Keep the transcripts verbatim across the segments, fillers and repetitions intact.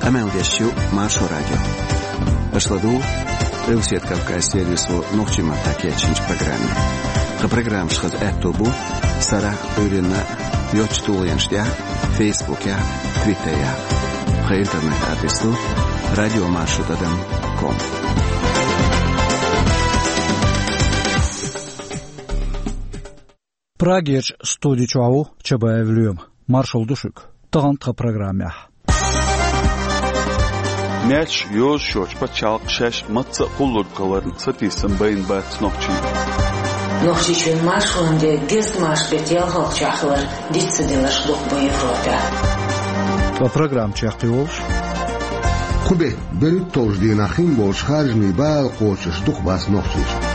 Къамел деш ю Маршо радио. Аша ладугӀу Къилбаседа Кавказ сервисо нохчийн маттахь кечйинчу программе. Тхан программаш хаза аьтто бу сарахь а, Ӏуьйранна а йоцачу тулгӀенаш тӀехь а, Фейсбукехь а, Твиттерехь а. Тхан интернет-адрес ду радиомаршо тӀадам ком. Прагерчу студи чохь ву Чабаев Лоьма. Маршалла ду шуьга. Тахана тхан программехь. Маьрша йозуш йоцу пачхьалкх шаьш мацца а кхуллург хиларна сатийсам байна бац нохчийн. Нохчийчоьнан маршонан де гезгмашин беттан ялхалгӀачохь хилар диц ца деларш дукха бу Европехь. Ткъа программа чекхйолуш: кху беттан берхӀитталгӀачу дийнахь хин болчу харжамийн бала кхочурш дукха бац Нохчийчохь.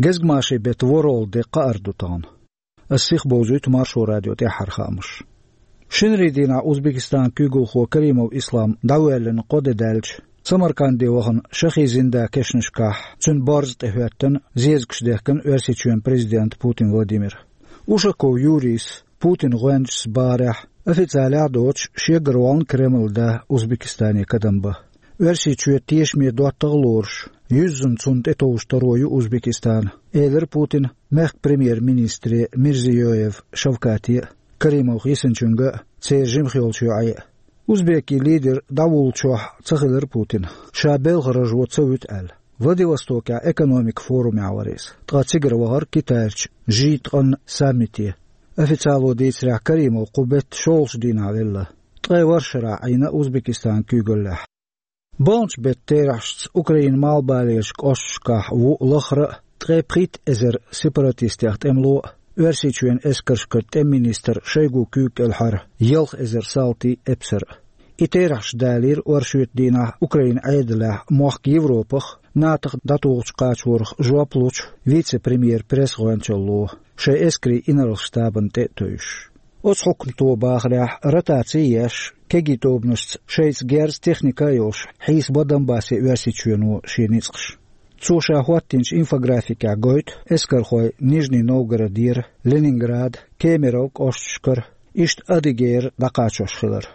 Гезгмашин беттан ворхӀалгӀа де кхаара ду тахана. Ас сиха бовзуьйту Маршо радион тӀаьххьара хаамаш. Шинарин дийнахь Узбекистанан куьйгалхо Каримов Ислам дӀавоьллина кхо де даьлча, Самарканде вахана Шахи-Зиндан кешнашкахь цуьнан борза тӀе хӀоьттина, зезагаш дехкина Оьрсийчоьнан президента Путин Владимира. Ушаков Юрийс Путинан гӀоьнчас бахарехь, официалехь а доцуш, шегара вахана Кремлан да Узбекистане кадам бан. Оьрсийчоь тешаме доттагӀа а лоруш, юьззина цунна тӀетовжа таро ю Узбекистана, элира Путина мехкан премьер-министре Мирзиёев Шавкате а, Каримовх йисинчуьнга а, церан жимах йолчу йоӀе а. Узбекийн лидер дӀавуллучохь ца хилира Путина, ша белхан рожо ца вуьту аьлла. Владивостокехь экономикан форумехь вара иза, ткъа цигара вахара Китайчу Жи ткъанна саммите. Официало дийцарехь, Каримов кху беттан шолгӀачу дийнахь велла. Ткъе ворхӀ шарахь Ӏийна Узбекистанан куьйгаллехь. Баханчу беттан терахьашца Украинан малхбалерчу кӀошташкахь ву лахара а, ткъе пхийтта эзар сепаратистех тӀемало а, Оьрсийчоьнан эскаршкара тӀеман министр Шойгун куьйга кӀел хьаьра ялх эзар салти а, эпсар а. И терахьаш далийра оршотан дийнахь Украинан Ӏедалехь мохк Европах, НАТОх дӀатухучу кхачорах жоп лучу вице-премьеран пресс-гӀоьнчалло, шайн эскарийн инарла штабана тӀе а тевжаш. Оцу хьукмато бахарехь, ротаци а еш, кегийчу тобанашца шайца герз техника а йолуш, хьийсабо Донбассе Оьрсийчоьно шен ницкъаш. Цо ша хӀоттийначу инфографикехь гойту эскархой Нижний Новгородера, Ленинграда, Кемерово кӀошташкара, иштта Адыгейра дӀакхачош хилар.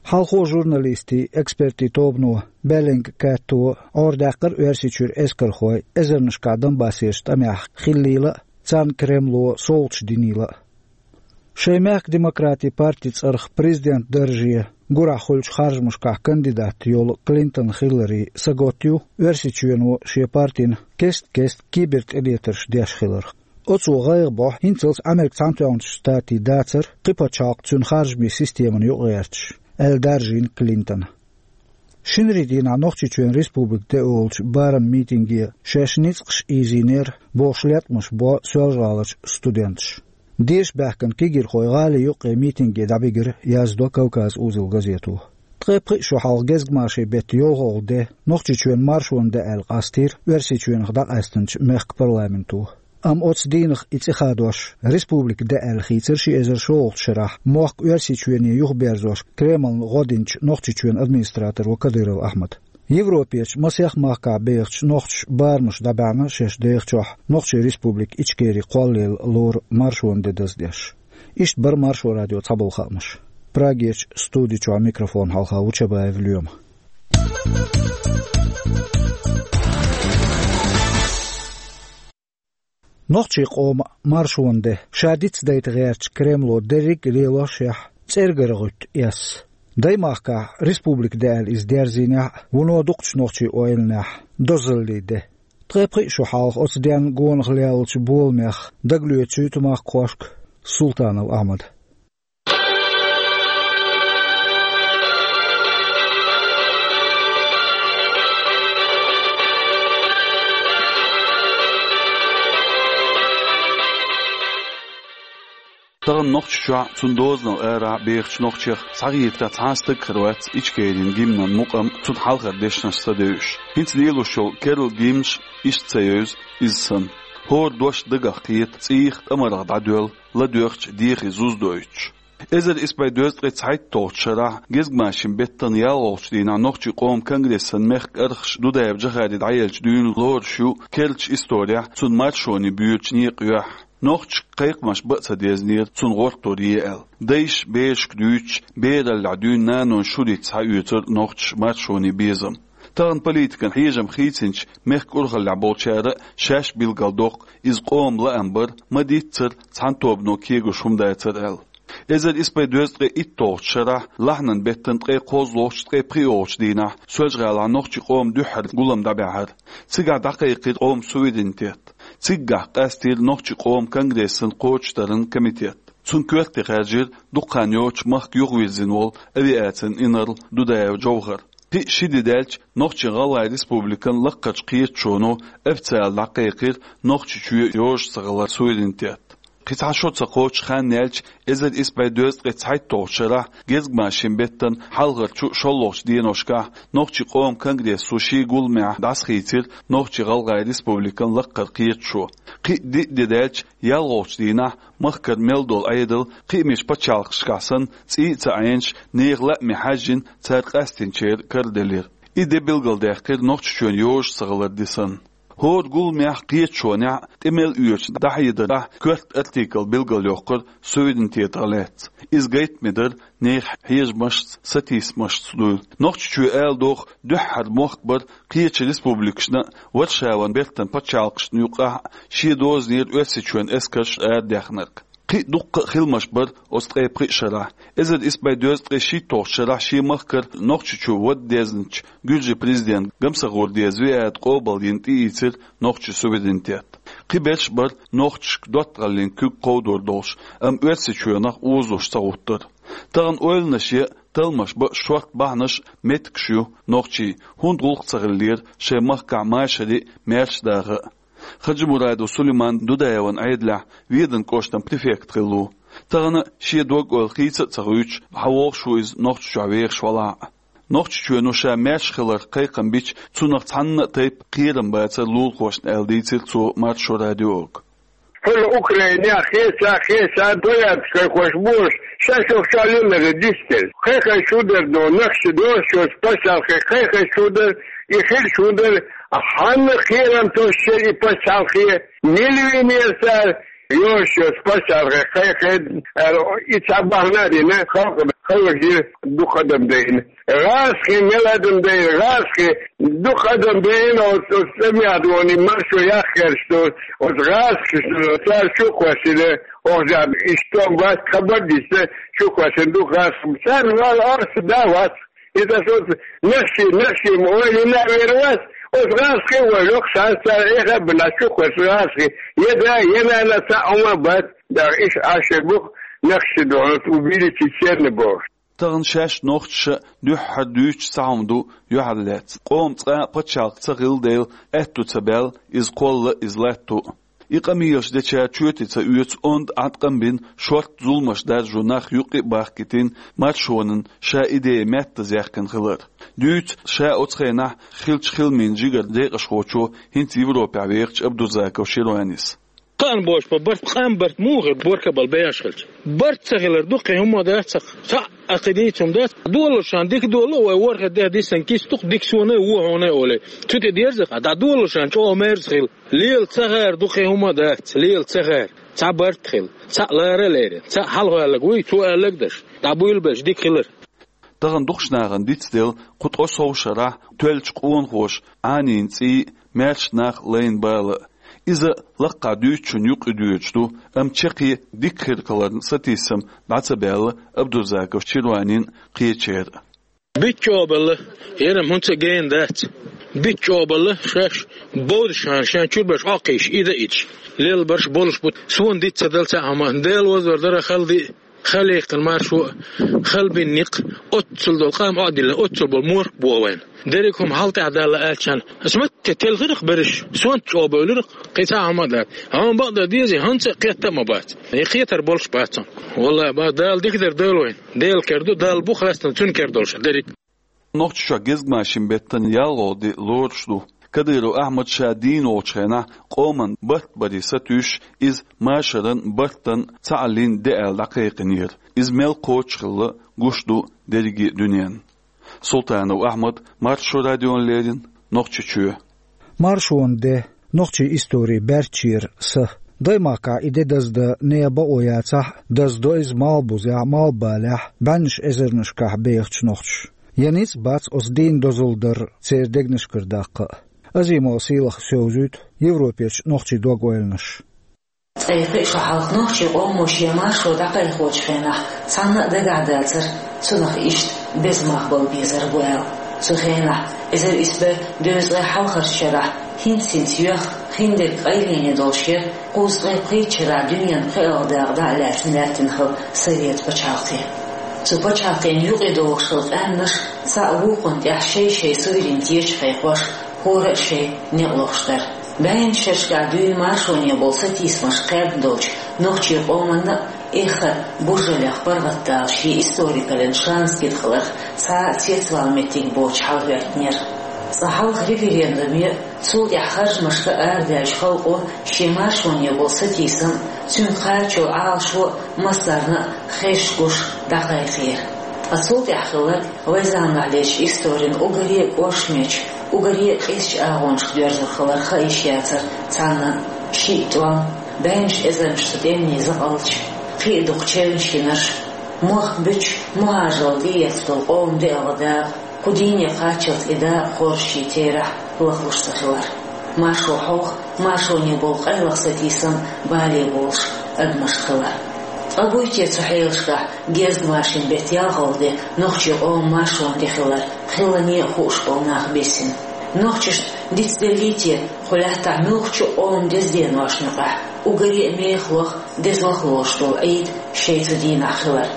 Хьалхо журналистийн, экспертийн тобано, Беллингкэто, Ӏорадаьккхира Оьрсийчуьра эскархой эзарнашкахь Донбассерчу тӀамехь хиллийла а, царна Кремло совгӀаташ динийла а. Шайн мехкан демократийн партин цӀарах президентан дарже гурахь хуьлучу харжамашкахь кандидат йолу Клинтон Хиллари сагатта ю Оьрсийчоьно шен партина кест-кеста кибертӀелетарш деш хиларх. Оцо гӀайгӀа бохьу хӀинццалц Американ Цхьаьнатоьхначу Штатийн дацар, кхин пачхьалкх цуьнан харжамийн системана юкъагӀерташ, аьлла даржийна Клинтона. Шинарин дийнахь Нохчийчоьнан республикан де олучу бараман митинге шаьш ницкъаш ийзийнера бохуш латкъамаш бо Соьлжа-ГӀаларчу студенташа. Дешан баьхкина кегийрхой гӀалин юккъе митинге дӀабигира, яздо Кавказ-Узел газето. Ткъе пхиъ шо хьалха гезгмашин беттан йолхалгӀа де Нохчийчоьнан маршонан де аьлла къастийра Оьрсийчоьнах дӀакъаьстинчу мехкан парламенто. Амма оцу дийнах и цӀе хадош, республикан де аьлла хийцира ши эзар шолгӀачу шарахь мохк Оьрсийчоьне юхаберзош Кремлна гӀо динчу Нохчийчоьнан администраторо Кадыров Ахьмада. Европерчу масех махкахь бехачу нохчаша барамаш дӀабаьхьна шаьш дехачохь Нохчийн Республика Ичкери кхоллаелла лору маршонан де даздеш. Иштта бара Маршо радион цхьаболу хаамаш. Прагерчу студи чохь микрофон хьалха ву Чабаев Лоьма. Нохчийн къоман маршонан де ша дицдайта гӀертачу Кремло дерриг а лелошехь, цӀергара гӀуьтту эс. Даймахкахь республикан де аьлла иза дерзийнехь а, вуно дукхачу нохчийн ойланехь дозаллин де. Ткъе пхиъ шо хьалха оцу денна гонах леллачу боламех дагалоьцуьйту махкахошка Султанов Ахьмада. Тахана Нохчийчохь, цуьнан дозанал арахь бехачу нохчех схьахетарехь цхьа а стаг хир вац Ичкерин гимнан мукъам, цунна хьалхара дешнаш ца девзаш. ХӀинца лелош йолу керла гимнаш иштта ца евза иза санна. ХӀора дош дагах кхета, цӀийх, тӀамарх дӀадоьлла, ладоьгӀча дехий зуз дойтуш. Эзар исс бӀе дезткъе цхьайтталгӀачу шарахь гезгмашин беттан ялхалгӀачу дийнахь Нохчийн къоман конгрессан мехкан архаш Дудаев Джохари дӀаеллачу дуьйна лоруш ю керлачу исторехь цуьнан маршонийн буьйрачу некъан юьхь. Нохчашка кхайкхамаш ба а ца дезнера, цунна гӀортор е аьлла. Дайша берашка дуьйцуш, бераллехь дуьйна нанон шурица схьаоьцура нохчаша маршоне безам. Тахана политикан хьежам хийцинчу мехкан урхаллехь болчара а шаьш билгалдоккху, иза къоман лаам бара, ма-дийццара цхьана тобано кегош хӀума дацара аьлла. Эзар исс бӀе дезткъе итталгӀачу шарахь, лахьанан беттан ткъе кхозлагӀчу, ткъе пхиъалгӀачу дийнахь Соьлжа-ГӀалахь нохчийн къоман дуьххьара гулам дӀабаьхьира. Цигахь дӀакхайкхира къоман суверенитет. Цигахь къастийра нохчийн къоман конгрессан кхочушдаран комитет. Цунна коьрте хаьржира дукха хан йоццуш махка юхавирзина волу авиацин инарла Дудаев Джовхар. Кхин а ши де даьлча, Нохч-ГӀалгӀайн Республикан лакхарчу кхеташоно официально дӀакхайкхира Нохчийчоь йозуш ца хилар суверенитет. Кхин цхьа шо ца кхочуш хан яьлча, эзар исс бӀе дезткъе цхьайтталгӀачу шарахь гезгмашин беттан хьалхарчу, шолгӀачу деношкахь нохчийн къоман конгрессо шен гуламехь дӀасахийцира Нохч-ГӀалгӀайн Республикан лакхара кхеташо. Кхин а диъ де даьлча, ялхолгӀачу дийнахь махкара мел долу Ӏедал, кхиамечу пачхьалкхашкахь санна, цӀий а ца Ӏенаш, нехан лааме хьаьжжина, цара къастийначеран кара делира. И де билгалдаьккхира Нохчийчоьнан йозуш ца хилар де санна. ХӀора гуламехь, кхеташонехь а тӀе мел оьцуш дӀахьедарехь, коьрта артикл билгалйоккхура суверенитетах лаьцна. Иза гайтаме дара нехан хьежамашца, сатийсамашца дуйла. Нохчийчоь, ала догӀу, дуьххьара мохк бара кхечу республикашна а, Варшаван бертан пачхьалкхашна юкъахь а шен дозанера Оьрсийчоьнан эскарш арадаьхнарг. Кхин а дуккха а хиламаш бара оцу ткъе пхи шарахь. Эзар исс бӀе дезткъе шийтталгӀачу шарахь шен махкара Нохчийчу вада дезначу гуьржийн президента Гамсахура Деза Виата къобалдина тӀеийцира нохчийн суверенитет. Кхин берш а бара нохчашка доттагӀаллин куьг кховдор долуш, амма Оьрсийчоьнах озалуш ца гӀуттура. Тахана ойланаш я, талламаш бан шортта бахьанаш а, меттигаш а ю нохчийн, хӀунда гӀуллакх ца хиллера шайн махкахь машаре а, маьрша даха а. Хаджимурадов Сулейман Дудаевн Ӏедалехь Веданан кӀоштан префект хилла ву. Тахана шен дог-ойла хийца а ца хуьйцуш, хьан вогӀуш ву иза Нохчийчохь вехаш валахь а. Нохчийчоьно ша маьрша хиларх кхайкхам бича, цунах цхьанна а тайпа кхерам бацара лулахошна аьлла, дийцира цо Маршо радиога. ХӀуна Украинехь хеца, хеца, порядок кхайкхош болуш, ша шух чохь леллара дистелла. Кхайкхаш хӀун дара, но нах шу доцучу пачхьалкхе кхайкхаш хӀун дара, и хилча хӀун дара, хьанна кхерам тосучу и пачхьалкхе, мила вийнера цара, йозуш йоцу пачхьалкхе кхайкхийта аьлла, и цхьа бахьана а дина, халкъ, халкъ дукха адам дайна. ГӀазкхи мел адам дайна, гӀазкхи дукха адам дайна, оцу, оцу тӀамехь дони Маршо яккхарш ду, оцу гӀазкхи цара чу кхоьссина, оха жа иштта бац, хабар дисна, чу кхоьссина ду гӀазкхи. Царна вала орца да вац. Иза шу нахчи, нахчи ма ойла йина вер вац, оцу гӀазкхи ойла йоккхуш, цара эхар бина чу кхоьссина гӀазкхи. Я да, я нана цхьа хӀума бац, да иш ашир бух, нахчи дохуна, убили церна бохуш. Тахана шаьш нохчаша дуьххьара дуьйцуш цхьа хӀума ду юьхьарлаьцна. Къоман цкъа а пачхьалкх ца хилла дела, аьтту ца баьлла иза кхолла а, иза латто а. И къамелаш дечара чоьте ца оьцу онда Ӏаткъам бина, шортта зуламаш даржо нах юккъе а бахкийтина Маршонан ша идея меттаза яьккхина хилар. Дуьйцу ша оцу хенахь хиллачу хиламийн жигара декъашхочо, хӀинца Европехь вехачу Абдурзаков Ширванис. Кхаъан бохуш бу барт, къам барт муха хир, борка бала беш хилча. Барт ца хилар ду, кхин хӀумма дац цхьа. Цхьаъ а кхин дийца хӀума дац. Долалушан дика долу, вай ворхӀе дехьа диссина киста ду-кх, дика суна а, вон хьуна а олий. Цу тӀе дерза-кх, дӀа долалушан чӀогӀа мерза хила. Лела ца хар ду, кхин хӀумма дац, лела ца хар. Цхьа барт хила, цхьаъ лара а лерина, цхьаъ хьалхаваьлларг вуй, цо аьлларг а деш. ДӀабуьйлабеш дика хилар. Тахана дукхачу нахана дицделла кху ткъе сов шарахь тоьллачу къонахоша Ӏанийна цӀий а, маьрша нах лайна бала а. Иза лакхахь дуьйцучунна юкъа доьдуш ду, амма чаккхе дика хир хиларна сатийсам дӀа ца баьлла Абдурзаков Ширванин а, кхечеран а. Битта чӀогӀа белла, ярам хӀунца а гена дац. Битта чӀогӀа белла, шаьш бовдаш хьана, шен чуьра берш Ӏоккхийша, и дан иташ. Лелла барш болуш бу, суна диц ца дала цхьа а хӀума, Дела вазвар дара хала ди. Хала яьккхина Маршо а, хала бина никъ, оццул долу къам Ӏодиллина, оццул болу мохк боху вайна. Дерриг хӀума хьал тӀаьхьа далла аьлча хьан, аса матте телхира-кх берриш, сонта чӀогӀа бевлира-кх, кхин цхьа а хӀума дац. Хьуна бакъдар дезий, хӀанца а кхетта а ма бац. И кхетар болуш бац хьуна. Валлахьи, бакъ, Дала дика дар дойла вайна. Дела кер ду, Далла бу хастам цуьнан кер долуш дерриг. Нохчийчохь гезгмашин беттан ялхолгӀа де лоруш ду. Кадыров Ахьмад ша дийна волчу хенахь къоман барт баре сатуьйсуш, иза машаран, бартан цхьааллин де аьлла дӀакхайкхинера. Иза мел кхочушхилла гуш ду дерриге а дуьненна. Султанов Ахьмад, Маршо радиона леррина, Нохчийчоь. Маршонан де, нохчийн историн баьрччера са. Даймахкахь и де даздан некъ бакъо яцахь а, даздо иза малхбузехь а, малхбалехь а, бӀеннаш эзарнашкахь бехачу нохчаша. Я ницкъ бац оцу дийнан дозалла дар церан дегнашкара даккха а. Азимова Сийлаха совзуьйту Европерчу нохчийн дог-ойланаш. Ткъе пхи шо хьалха нохчийн къомо шен маршо дӀакхайкхочу хенахь, цхьанна а дагахь дацара, цунах иштта беза мах бала безар бу аьлла. Цу хенахь, эзар исс бӀе дезткъе хьалхарчу шарахь, хӀинца-хӀинца йоьхна, хиндерг къайлене долуш яра, кхузткъе пхийтта шарахь дуьненан пхоьалгӀа дакъа дӀа а лаьцна лаьттина хилла Совет пачхьалкхе. Цу пачхьалкхана юкъа догӀуш хилла къаьмнаш цхьаъ вукхунна тӀехь шай-шай суверенитет кхайкхош, хӀора а шайн некъ лохуш дара. БӀеннаш шерашкахь дуьйна маршоне болу сатийсамаш кхаьбна долчу нохчийн къоманна а, эххар а буржалех паргӀатдалаш шен историкаллин шанс гина хиларх цхьа а цецвала меттиг боцуш хьалахӀоьттинера. Цкъа хьалха референдуме а, цул тӀаьхьа харжамашка а арадаьллачу халкъо шен маршоне болу сатийсам а, цуьнга кхаччалц Ӏалашо а массарна а хезаш гуш дӀакхайкхийра. Ткъа цул тӀаьхьа хилларг вайн заманахь лечу историн уггаре а кӀоршамечу, уггаре а къизачу агӀонашка доьрзур хилар хаа йиш яцара цхьанна а. Шиъ тӀом, бӀеннаш эзарнаш цу тӀемне закъалча, кхин а дукха чевнаш йинарш, мох буьтуш, мухӀажаралла тӀеэцна долу къоман деалгӀа дакъа, кху дийне кхаччалц и дакъа хоржучийн терахь лахлуш ца хилар. Маршо хьовха, маршоне болу къайлаха сатийсам бале болуш адамашка хилар. Ткъа буй те цу хьелашкахь гезгмашин беттан ялхалгӀа де нохчийн къоман маршонан де хилар хиллане а хууш болу нах бисина? Нохчашна дицделлий те кху лаьттахь муьлххачу а къоман деза деношна юкъахь уггаре а мехалах, дезалх лоруш долу Ӏийд шайн цу дийнахь хилар?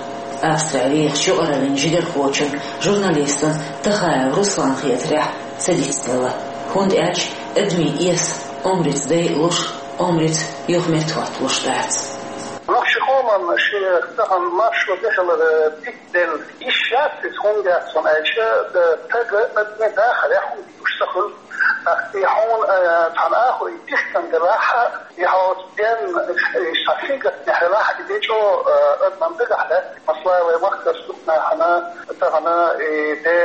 Австрехь вехачу юкъараллин жигархочун, журналистан Тахаев Русланан хетарехь, ца дицделла, хӀунда аьлча адамийн эс омрица дайалуш, омрица юха меттахӀотталуш дац. Нохчийн къоман шен тахана маршо де хилар дика делла йиш яц иза, хӀунда аьлча, э, стага адамийн дахарехь хӀума дийцуш ца хуьлу. ТӀаккха и хьуна, э, цхьана агӀор и дистина делахь а, и хьо цу денна, э, цхьа сингаттаме хилахь а, и де чӀогӀа, э, адамна дагахь лаьтта. Масала, вайн махкара стаг нахана тахана и де,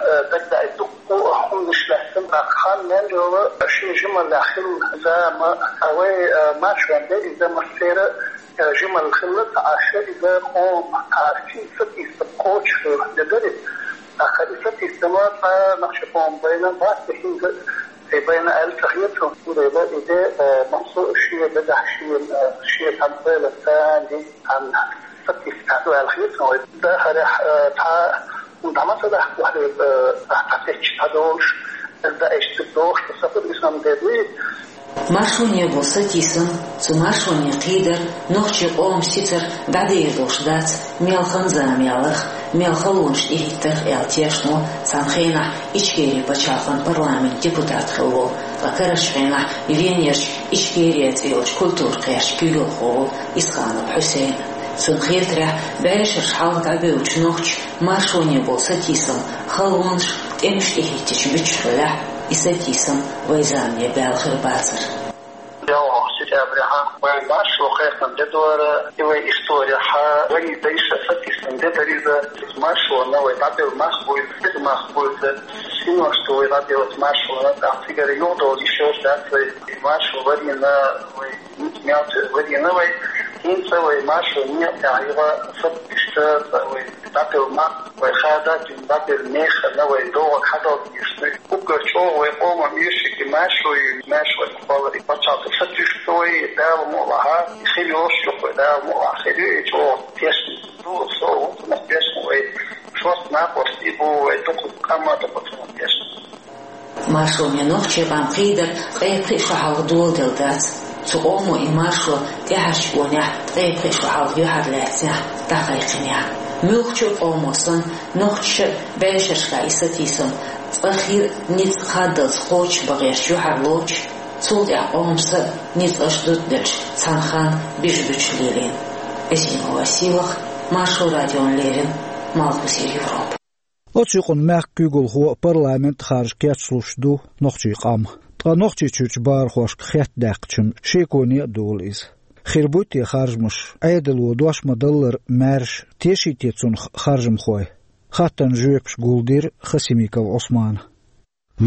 э, дагадеъча дуккха а хӀуманаш лаьцна, тӀаккха хан мел йолу шен жималлехь хилла зама, а вай, э, маршонан де иза массеран а, э, жималла хилла ца Ӏаш, иза къоман цхьа сий, сатийсам кхочушхилла де дара иза. ТӀаккха и сатийсам цхьа нохчийн къоман байна бац, и хӀинца а, и байна аьлла ца хета суна, хӀунда аьлча и де, э, массо а шен дагахь шена, э, шен цхьана гӀелаца, цхьана сатийсам ду аьлла хета суна вай. Дахарехь, э, цхьа хӀума дӀа ма ца дахка, вахьле, э, цхьа цецча дӀадолуш, иза даьӀча цига дохуш, ца хуур, и сан де дуй. Маршоне болу сатийсам, цу маршоне кхийдар нохчийн къоман сицар дӀадер долуш дац, мел хан-зама яларх, мел халонаш тӀехӀиттарх аьлла тешна ву цхьана хенахь Ичкерин пачхьалкхан парламентан депутат хилла волу, ткъа карарчу хенахь Венерчу Ичкерия цӀе йолчу культура кхерчан куьйгалхо волу Исханов Хьусейн. Цунна хетарехь, бӀешераш хьалха дӀабевллачу нохчаша маршоне болу сатийсам халонаш, тӀемаш тӀехӀиттича буьтуш хиллехь, и сатийсам вайн замане баьлла хир бацара. ЯлхолгӀачу сентябрехь вайн маршо кхайкхина де дара, и вайн исторехь вайн дайша сатийсам де дара иза. Маршонан вай дӀабелла мах буй иза, хӀун мах буй иза, синош ду вай дӀабеллачу маршонан, тӀаккха цигара юхадовла йиш йолуш дац вай, и маршо варийна вай, ницкъ мел чӀогӀа варийна вай, хӀинца вай маршонан некъа тӀехь юха сатуьйсуш ца вай дӀабелла мах, вай хада дуьйна дӀабелла механа вай догӀург хьадала дезаш ду. Уггар чӀогӀа вай къоман оьшург и маршо ю, маршо вай кхоллар и пачхьалкх сатуьйсуш ду вай, Дала мукъ лахь, хир йолуш ю-кх вай, Дала мукъ лахь, хир ю и чӀогӀа тешна. Ду со ву цунах тешна вай, шорта накъостий бу вай, дукха къам а ду-кх цунах тешна. Маршоне нохчийн къам кхийдар ткъе пхи шо хьалха доладелла дац. Цу къомо и маршо тӀаьхьарчу гонехь, ткъе пхи шо хьалха юьхьарлаьцнехь, дӀакхайкхинехь. Муьлххачу а къомо санна, нохчаша а бӀешерашкахь и сатийсам цкъа хир а, ницкъ хаддалц кхочушбан гӀерташ юьхьарлоцуш, цул тӀаьхьа къоман са а, ницкъаш а дутделлачу цхьана ханна бижа-буьтуш лелийна. Азимова Сийлаха, Маршо радиона леррина, Малхбузера Европа. Оцу юкъанна мехкан куьйгалхо а, парламент а харжа кечлуш ду нохчийн къам. Ткъа Нохчийчуьрчу бахархошка хетта даьккхичун шеконе а долу иза. Хир буй те харжамаш, Ӏедало дош ма-даллара, маьрша теший те цунах харжамхой? Хаттарна жоьпаш гулдира Хасимиков Ӏусмана.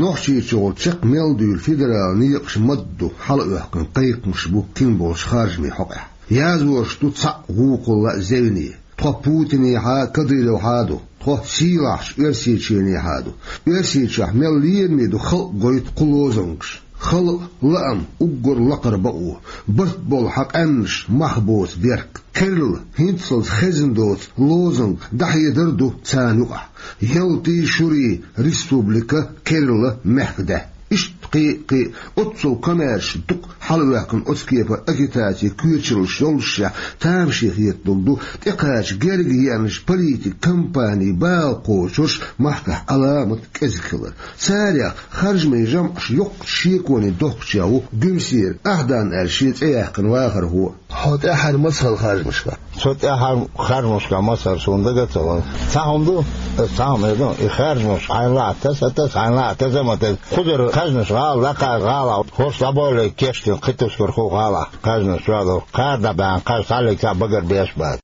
Нохчийчохь чекх мел дуьйлу федералан некъаш мадду хьалаоьхкина кхайкхамаш бу кхин болчу харжамийн хьокъехь. Яздарш ду цхьаъ вукхулла а зевне. Тхо Путинехьа, Кадыровхьа ду, тхо сийлахьчу Оьрсийчоьнехьа ду. Оьрсийчохь мел лераме ду халкъ гойту кху лозунгаш. Халкъ, лаам, уггар лакхара бакъо, барт болу хьан къаьмнаш, мах боцу берк. Керла, хӀинццалц хезна доцу лозунг дӀахьедар а ду царна юкъахь. Ялтий, шурий, республика, керла, мехкада. Иштта кхин а, кхин а, оццул комаьрша дукха хьалаваьккхина оцу кепара агитацин коьчаллаш йоллушехь, тамаше хеталур ду, тӀекхача герга еанчу политикан кампанийн бала кхочурш махкахь Ӏаламат кӀезиг хилар. Царех харжамийн жамӀаш йоккхачу шеконе дохкучех ву Гуьмсера Ахьдан аьлла шен цӀе яьккхина вахархо. Хьо тӀаьххьара маца хилла харжамашкахь? Со тӀаьххьара харжамашкахь маца хилла суна дага а ца хуьлу. Цхьа хӀума ду, аса цхьа хӀума эр ду, и харжамаш хьайна лаахь таса а таса, хьайна лаахь таса а ма таса. Кхузара хазнаш гӀала, лакхара гӀала, хӀорш дӀабойлий кечдина кхин тускар хӀу гӀалахь, хазнаш чохь долу, кхара дӀабаьхьна, кхаж цхьаллиг цхьаъ багар беш бац.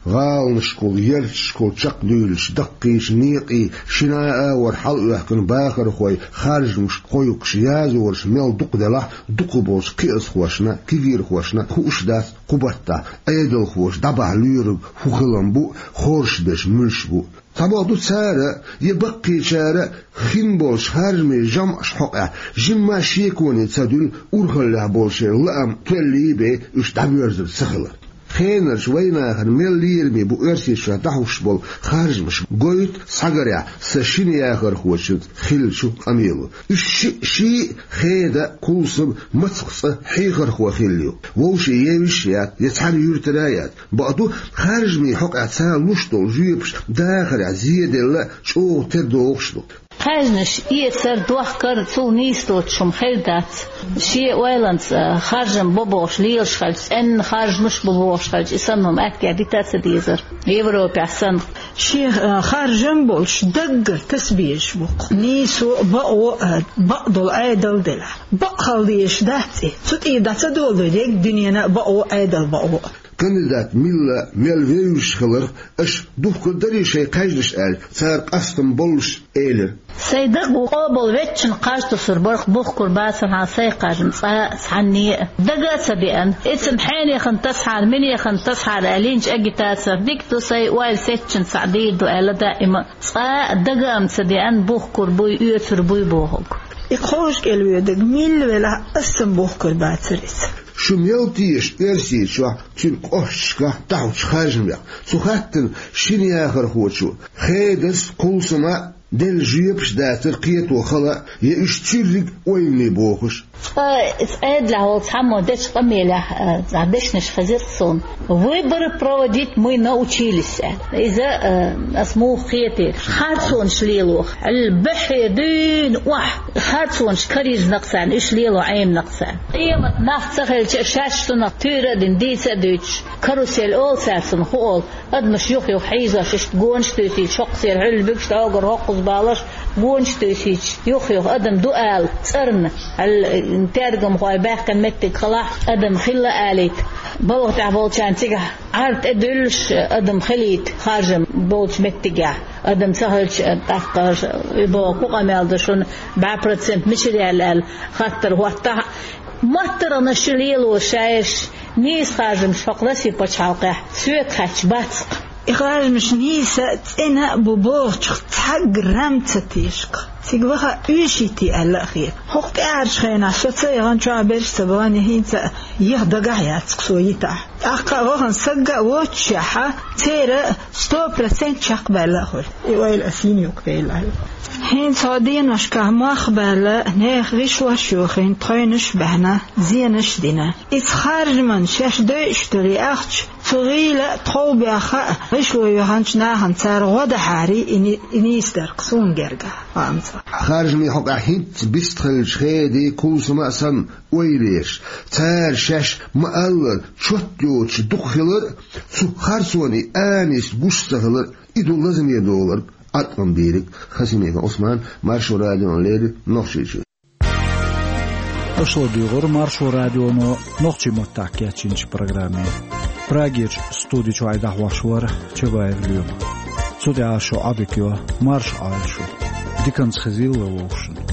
ГӀаланашкахула, ярташкахула чекхдуьйлуш даккхийчу некъийн шина а агӀор хьалаоьхкина бахархой харжамаш кхойкхуш, яздарш мел дукха делахь а, дукхахболчу кхиазхошна, кегийрхошна хууш дац кху баттахь Ӏедалхоша дӀабахьа лоьрург хӀун хилам бу, хоржуш берш муьлш бу. Цхьабакъду цара, я баккхийчара хин болчу харжамийн жамӀаш хьокъехь жимма а шеконе ца дуьллу урхаллехь болчеран лаам тоьллий бен уьш дӀабоьрзур ца хилар. Хенарчу вайнахана мел лераме бу Оьрсийчохь дӀахьуш болу харжамаш, гойту схьагарехь сан шина яхархочуьнца хиллачу къамело. Уьш шиъ, шиъ а Хеда, Кулсам, Мацах цкъа хьехархо хилла ю. Вовшийн евзаш а яц, я цхьана юьртара а яц. Бакъду, харжамийн хьокъехь цара луш долу жоьпаш дахарехь зеделла а, чӀогӀа тера догӀуш а ду. Хазнаш эцар, дохкар, цул нийса доцуш хӀума хир дац. Шен ойланца, а, харжам бо бохуш лелаш хилча, цӀенна харжамаш бо бохуш хилча, и санна хӀума аьттехьа дита а ца дезара, Европехь санна. Шен, а, харжам болуш даггара таса безаш бу-кх. Нийсо а, бакъо а, а, бакъдолу Ӏедал а делахь, бакъ хила дезаш дац и. Цу тӀера дӀа ца доладой дерг дуьненан а бакъо а, Ӏедалан бакъо а. Кандидат милла а мел вевзаш хиларх аша духкур дарий шайн кхаьжнаш аьлча, цара къастам боллуш элира. Сайн дакъа къобал веттачунна кхаж тосур бара-кх, бухкур бацара хьан сайн кхаж-м цкъа а, цхьанне а. Дага а ца деана. Эцна хьенехана тасахьара, минехана тасахьара аьлла йинчу агитацех дика ду сайн ойла сецначунна цхьаъ дийр ду аьлла даима. Цкъа а дага а ма ца деана, бухкур буй, оьцур буй бохург. И кхожа кӀел воьдург милла велахь а, аса-м бухкур бацара иза. Шу мел теша Оьрсийчохь, цуьнан кӀошташкахь дӀахьучу харжамех? Цу хаттарна шина яхархочо Хедас, Кулсама а делла жоьпаш дацара кхето хала а, я уьш цуьрриг а ойлане бохуш. Цкъа, цкъа Ӏедалехь волу цхьаммо дечу къамелехь, а, цхьа дешнаш хезира-кх суна. «Выборы проводить мы научились», аьлла. Иза, а, ас муха кхетира? Харцонаш лело. Хьал бехье дуьйна охьа. Харцонаш карийна-кх царна, уьш лело Ӏемина-кх царна. Къемат нах ца хилча а, шаьш цунах туьйра а дина, дийца а дуьйцуш, карусель олу цара цунах, хӀун олу, адамаш юх-юха хьийзош, иштта гонаш а туьйсуьйтуш, хӀокхузера хьуьлла буьгуш, дӀогара хӀокхуза балош, гонаш а туьйсуьйтуш, юх-юха адам ду ала цӀарна, хьал, тергамхой баьхкина меттиг хилахь, адам хилла алийта, балха тӀехь болчарна цигахь Ӏар тӀедуьллуш адам хилийта, харжам болчу меттигехь адам ца хилча, тӀаккха и боху кху къамел ду шуна, бӀе процент мичара яьлла аьлла хаттар хӀоттахь а, моттаргӀанаш лело шаьш, нийса харжамаш хӀокху Россин пачхьалкхехь соьца хаьттича бац-кх. И харжамаш нийса а, цӀена а бу бохучух цхьа грамм ца теша-кх. Цига ваха оьший те аьлла а хета. ХӀокху тӀаьхьарчу хенахь со ца яхана, чохь берш а ца бахана, я хӀинца а яха дагахь яц-кх со йитахь. ТӀаккха а вахана сагга а воццушехь, церан сто процент чекхбаьлла а хуьлу. И ойла ас йина юкъа делахь. ХӀинца хӀокху деношкахь мах а баьлла, нехан гӀишлош а йохийна, тхойнаш а баьхна, зенаш а дина. Иза харжаман шаьш дойуш долу и ахча, цу гӀийла а, тхов баьхна а, гӀишло йоханчу нахана цара гӀо дахьара и ни-, и нийса дар-кх суна гергахь, амца. Харжамийн хьокъехь хӀинцца бистхиллачу Хедий, Кулсама а санна, ойла еш, цара шаьш ма-аллара чот йоцуш дукха хилар а, цу харцонийн анис гуш ца хилар а, и ду лазаме долург, Ӏаткъам бийриг. Хасимиков Ӏусман, Маршо радиона леррина, Нохчийчуьра. Аша ладуьйгӀура Маршо радионо нохчийн маттахь кечйинчу программе. Прагерчу студи чуьра дӀахьош вара Чабаев Лоьма. Цу тӀехь шун Ӏодика йо, марша Ӏойла шу. Диканца хезийла вовшашна.